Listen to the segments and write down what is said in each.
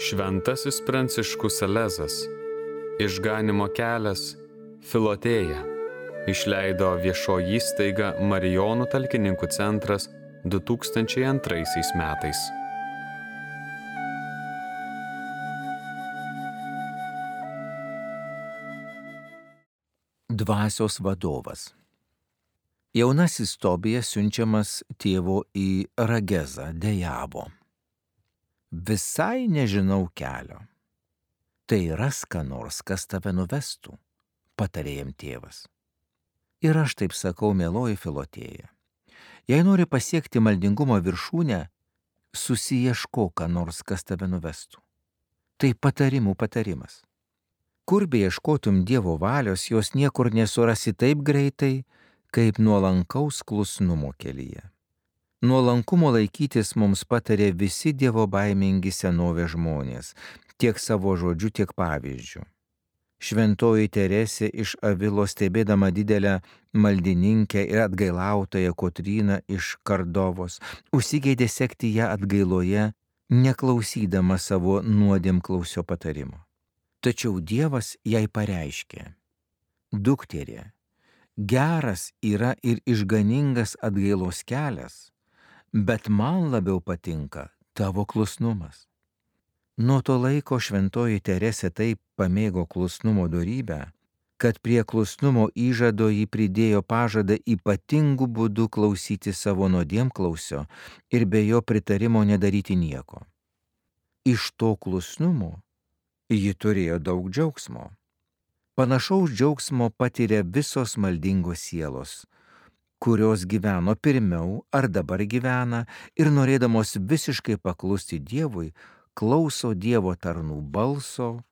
Šventasis Pranciškus Salezas, Išganymo kelias, Filotėja, išleido viešoji įstaiga Marijonų talkininkų centras 2002 metais. Dvasios vadovas. Jaunasis Tobijas siunčiamas tėvo į Ragezą dejavo. Visai nežinau kelio. Tai ras ką nors, kas tave nuvestų, patarė jam tėvas. Ir aš taip sakau, mieloji Filotėja. Jei nori pasiekti maldingumo viršūnę, susiieškok ką nors, kas tave nuvestų. Tai patarimų patarimas. Kur beieškotum Dievo valios, jos niekur nesurasi taip greitai, kaip nuolankaus klusnumo kelyje. Nuolankumo laikytis mums patarė visi dievobaimingi senovės žmonės, tiek savo žodžiu, tiek pavyzdžiu. Šventoji Teresė iš Avilo, stebėdama didelę maldininkę ir atgailautoją Kotryną iš Kardovos, užsigeidė sekti ją atgailoje, neklausydama savo nuodėmklausio patarimo. Tačiau Dievas jai pareiškė: dukterė, geras yra ir išganingas atgailos kelias, bet man labiau patinka tavo klusnumas. Nuo to laiko šventoji Teresė taip pamėgo klusnumo dorybę, kad prie klusnumo įžado ji pridėjo pažadą ypatingų būdų klausyti savo nuodėmklausio ir be jo pritarimo nedaryti nieko. Iš to klusnumo ji turėjo daug džiaugsmo. Panašaus džiaugsmo patiria visos maldingos sielos, kurios gyveno pirmiau ar dabar gyvena ir norėdamos visiškai paklusti Dievui, klauso Dievo tarnų balso,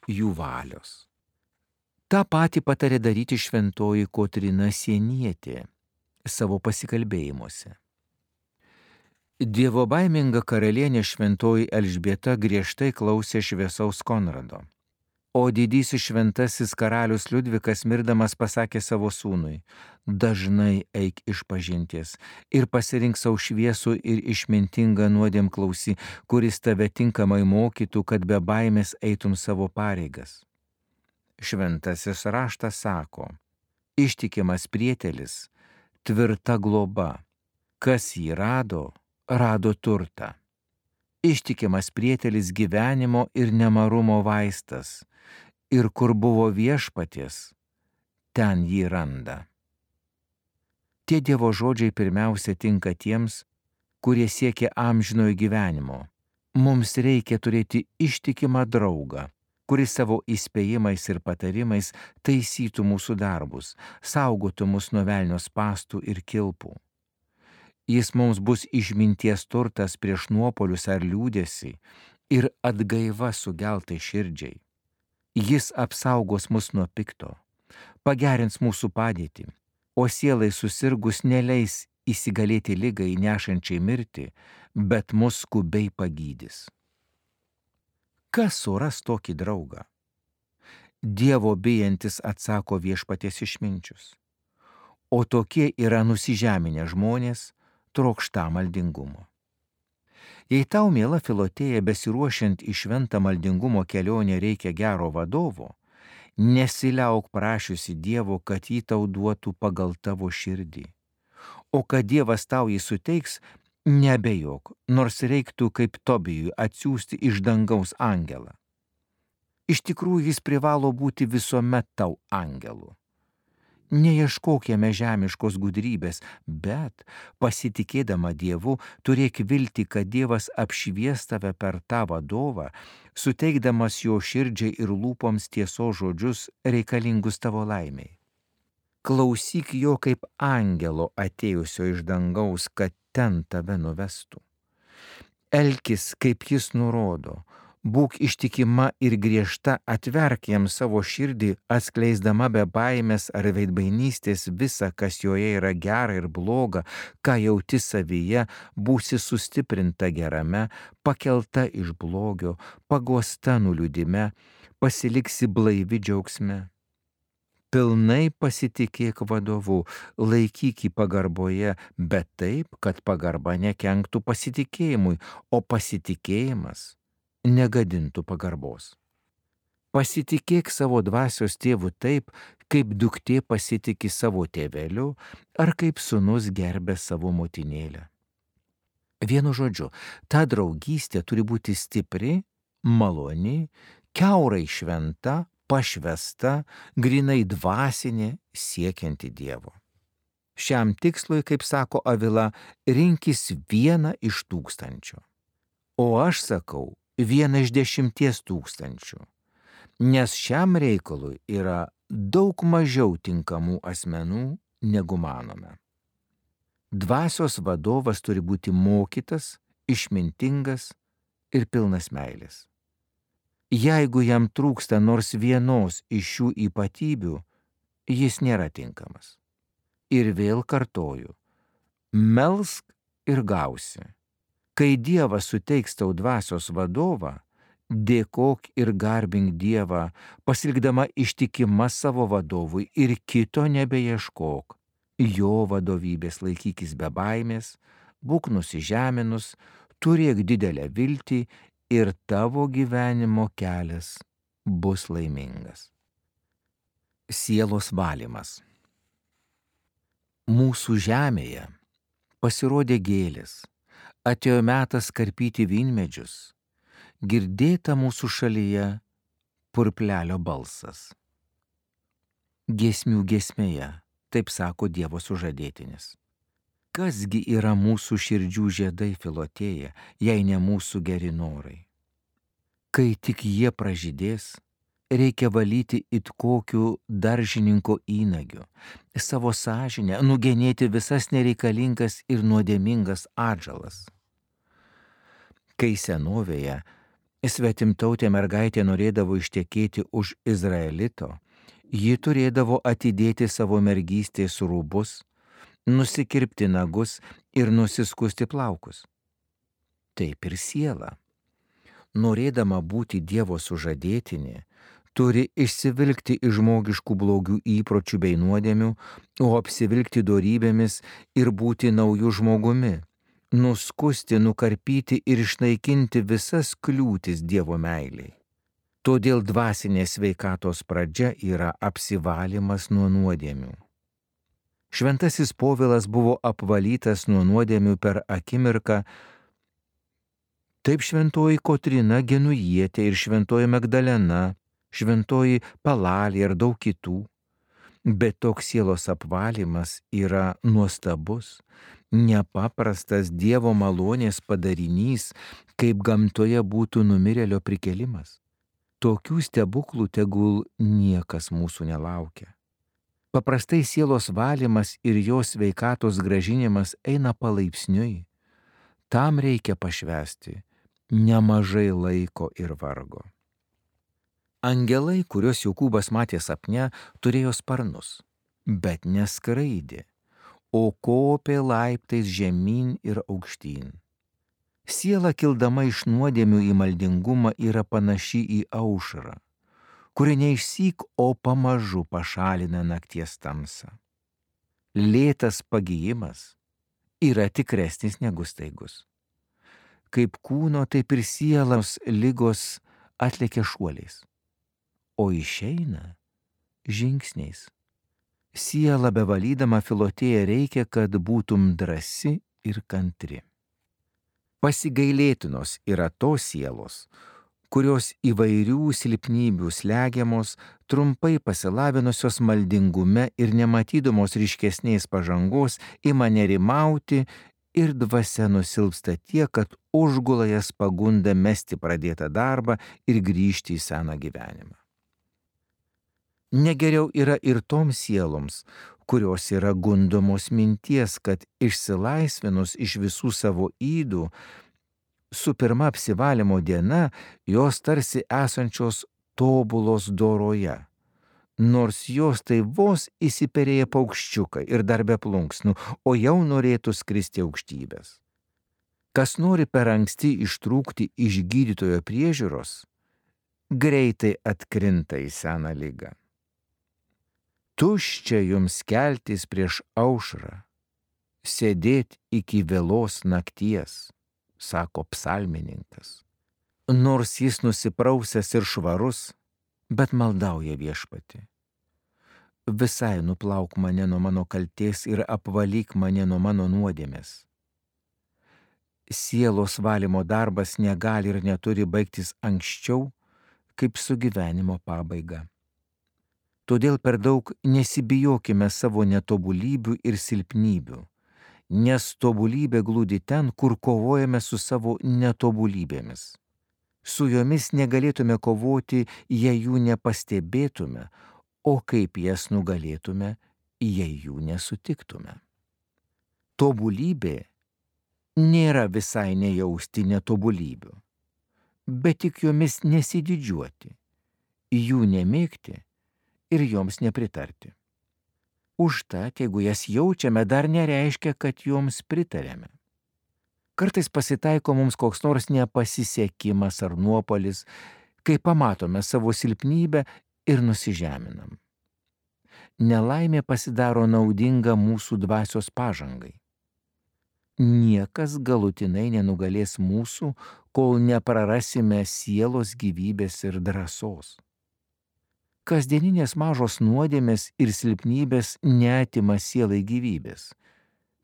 jų valios. Ta patį patarė daryti šventoji Kotryna Sienietė savo pasikalbėjimuose. Dievobaiminga karalienė šventoji Elžbieta griežtai klausė šviesaus Konrado. O didysis šventasis karalius Liudvikas mirdamas pasakė savo sūnui: dažnai eik išpažinties ir pasirink savo šviesų ir išmintingą nuodėmklausį, kuris tave tinkamai mokytų, kad be baimės eitum savo pareigas. Šventasis raštas sako: ištikimas prietelis, tvirta globa, kas jį rado, rado turtą. Ištikimas prietelis gyvenimo ir nemarumo vaistas, ir kur buvo viešpaties, ten jį randa. Tie Dievo žodžiai pirmiausia tinka tiems, kurie siekia amžinojo gyvenimo. Mums reikia turėti ištikimą draugą, kuris savo įspėjimais ir patarimais taisytų mūsų darbus, saugotų mus nuo velnio spąstų ir kilpų. Jis mums bus išminties turtas prieš nuopolius ar liūdesį ir atgaiva sugeltai širdžiai. Jis apsaugos mus nuo pikto, pagerins mūsų padėtį, o sielai susirgus neleis įsigalėti ligai nešančiai mirti, bet mus skubiai pagydys. Kas suras tokį draugą? Dievo bijantis, atsako viešpaties išminčius. O tokie yra nusižeminę žmonės, trokšta maldingumo. Jei tau, miela Filotėja, besiruošiant į šventą maldingumo kelionę reikia gero vadovo, nesiliauk prašiusi Dievo, kad jį tau duotų pagal tavo širdį. O kad Dievas tau jį suteiks, neabejok, nors reiktų kaip Tobijui atsiųsti iš dangaus angelą. Iš tikrųjų jis privalo būti visuomet tau angelu. Neieškok jame žemiškos gudrybės, bet, pasitikėdama Dievu, turėk viltį, kad Dievas apšvies tave per tą vadovą, suteikdamas jo širdžiai ir lūpoms tiesos žodžius reikalingus tavo laimiai. Klausyk jo kaip angelo atėjusio iš dangaus, kad ten tave nuvestų. Elkis, kaip jis nurodo. Būk ištikima ir griežta, atverk jam savo širdį, atskleisdama be baimės ar veidmainystės visa, kas joje yra gera ir bloga, ką jauti savyje, būsi sustiprinta gerame, pakelta iš blogio, paguosta nuliūdime, pasiliksi blaivi džiaugsme. Pilnai pasitikėk vadovu, laikyk jį pagarboje, bet taip, kad pagarba nekenktų pasitikėjimui, o pasitikėjimas negadintų pagarbos. Pasitikėk savo dvasios tėvu taip, kaip duktė pasitiki savo tėveliu ar kaip sūnus gerbė savo motinėlę. Vienu žodžiu, ta draugystė turi būti stipri, maloni, kiaurai šventa, pašvesta, grinai dvasinė, siekianti Dievo. Šiam tikslui, kaip sako Avila, rinkis 1 iš 1000. O aš sakau 1 iš 10 000, nes šiam reikalui yra daug mažiau tinkamų asmenų, negu manome. Dvasios vadovas turi būti mokytas, išmintingas ir pilnas meilės. Jeigu jam trūksta nors vienos iš šių ypatybių, jis nėra tinkamas. Ir vėl kartoju, melsk ir gausi. Kai Dievas suteiks tau dvasios vadovą, dėkok ir garbink Dievą, pasilikdama ištikima savo vadovui ir kito nebeieškok. Jo vadovybės laikykis be baimės, būk nusižeminus, turėk didelę viltį ir tavo gyvenimo kelias bus laimingas. Sielos valymas. Mūsų žemėje pasirodė gėlės, atėjo metas karpyti vynmedžius, girdėta mūsų šalyje purplelio balsas. Giesmių giesmėje, taip sako Dievo sužadėtinis. Kasgi yra mūsų širdžių žiedai Filotėja, jei ne mūsų geri norai? Kai tik jie pražydės, reikia valyti it kokiu daržininko įnagiu, savo sąžinę, nugenėti visas nereikalingas ir nuodėmingas atžalas. Kai senovėje svetimtautė mergaitė norėdavo ištekėti už Izraelito, ji turėdavo atidėti savo mergystės rūbus, nusikirpti nagus ir nusiskusti plaukus. Taip ir siela, norėdama būti Dievo sužadėtinė, turi išsivilkti iš žmogiškų blogių įpročių bei nuodėmių, o apsivilkti dorybėmis ir būti naujų žmogumi, nuskusti, nukarpyti ir išnaikinti visas kliūtis Dievo meiliai. Todėl dvasinės sveikatos pradžia yra apsivalymas nuo nuodėmių. Šventasis Povilas buvo apvalytas nuo nuodėmių per akimirką, taip šventoji Kotryna Genujietė ir šventoji Magdalena, šventoji Palalė ir daug kitų. Bet toks sielos apvalymas yra nuostabus, nepaprastas Dievo malonės padarinys, kaip gamtoje būtų numirėlio prikėlimas. Tokių stebuklų tegul niekas mūsų nelaukia. Paprastai sielos valymas ir jos sveikatos grąžinimas eina palaipsniui. Tam reikia pašvęsti nemažai laiko ir vargo. Angelai, kuriuos Jokūbas matė sapne, turėjo sparnus, bet neskraidė, o kopė laiptais žemyn ir aukštyn. Siela kildama iš nuodėmių į maldingumą yra panaši į aušrą, kuri neišsyk, o pamažu pašalina nakties tamsą. Lėtas pagijimas yra tikresnis negu staigus. Kaip kūno, taip ir sielos ligos atlekia šuoliais, o išeina žingsniais. Siela bevalydama Filotėja reikia, kad būtum drąsi ir kantri. Pasigailėtinos yra tos sielos, kurios įvairių silpnybių slegiamos, trumpai pasilavinusios maldingume ir nematydamos ryškesnės pažangos ima nerimauti ir dvasia nusilpsta tiek, kad užgula jas pagunda mesti pradėtą darbą ir grįžti į seną gyvenimą. Negeriau yra ir toms sieloms, kurios yra gundomos minties, kad išsilaisvinus iš visų savo ydų, su pirma apsivalymo diena jos tarsi esančios tobulos doroje, nors jos tai vos įsiperėję paukščiukai ir dar be plunksnų, o jau norėtų skristi aukštybės. Kas nori per anksti ištrūkti iš gydytojo priežiūros, greitai atkrinta į seną ligą. Tuščia jums keltis prieš aušrą, sėdėt iki vėlos nakties, sako psalmininkas. Nors jis nusiprausęs ir švarus, bet maldauja Viešpatį. Visai nuplauk mane nuo mano kaltės ir apvalyk mane nuo mano nuodėmės. Sielos valymo darbas negali ir neturi baigtis anksčiau, kaip su gyvenimo pabaiga. Todėl per daug nesibijokime savo netobulybių ir silpnybių, nes tobulybė glūdi ten, kur kovojame su savo netobulybėmis. Su jomis negalėtume kovoti, jei jų nepastebėtume, o kaip jas nugalėtume, jei jų nesutiktume. Tobulybė nėra visai nejausti netobulybių, bet tik jomis nesididžiuoti, jų nemėgti ir joms nepritarti. Užtat, jeigu jas jaučiame, dar nereiškia, kad joms pritarėme. Kartais pasitaiko mums koks nors nepasisekimas ar nuopuolis, kai pamatome savo silpnybę ir nusižeminam. Nelaimė pasidaro naudinga mūsų dvasios pažangai. Niekas galutinai nenugalės mūsų, kol neprarasime sielos gyvybės ir drąsos. Kasdieninės mažos nuodėmės ir silpnybės neatima sielai gyvybės,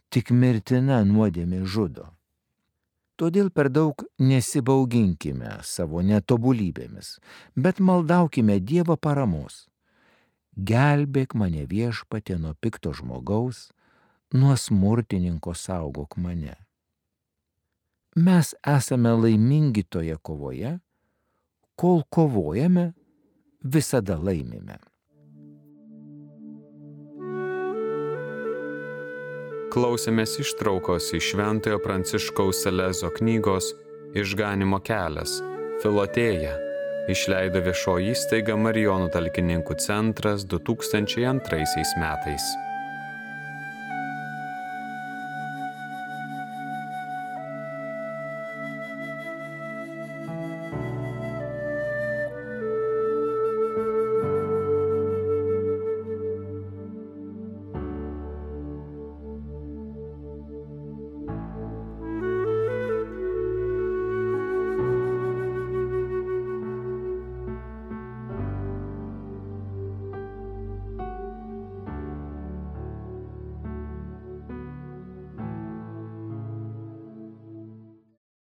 tik mirtina nuodėmė žudo. Todėl per daug nesibauginkime savo netobulybėmis, bet maldaukime Dievo paramos. Gelbėk mane Viešpatie nuo pikto žmogaus, nuo smurtininko saugok mane. Mes esame laimingi toje kovoje, kol kovojame, visada laimime. Klausėmės ištraukos iš Šventojo Pranciškaus Salezo knygos Išganymo kelias – Filotėja, išleido viešoji įstaiga Marijonų talkininkų centras 2002 metais.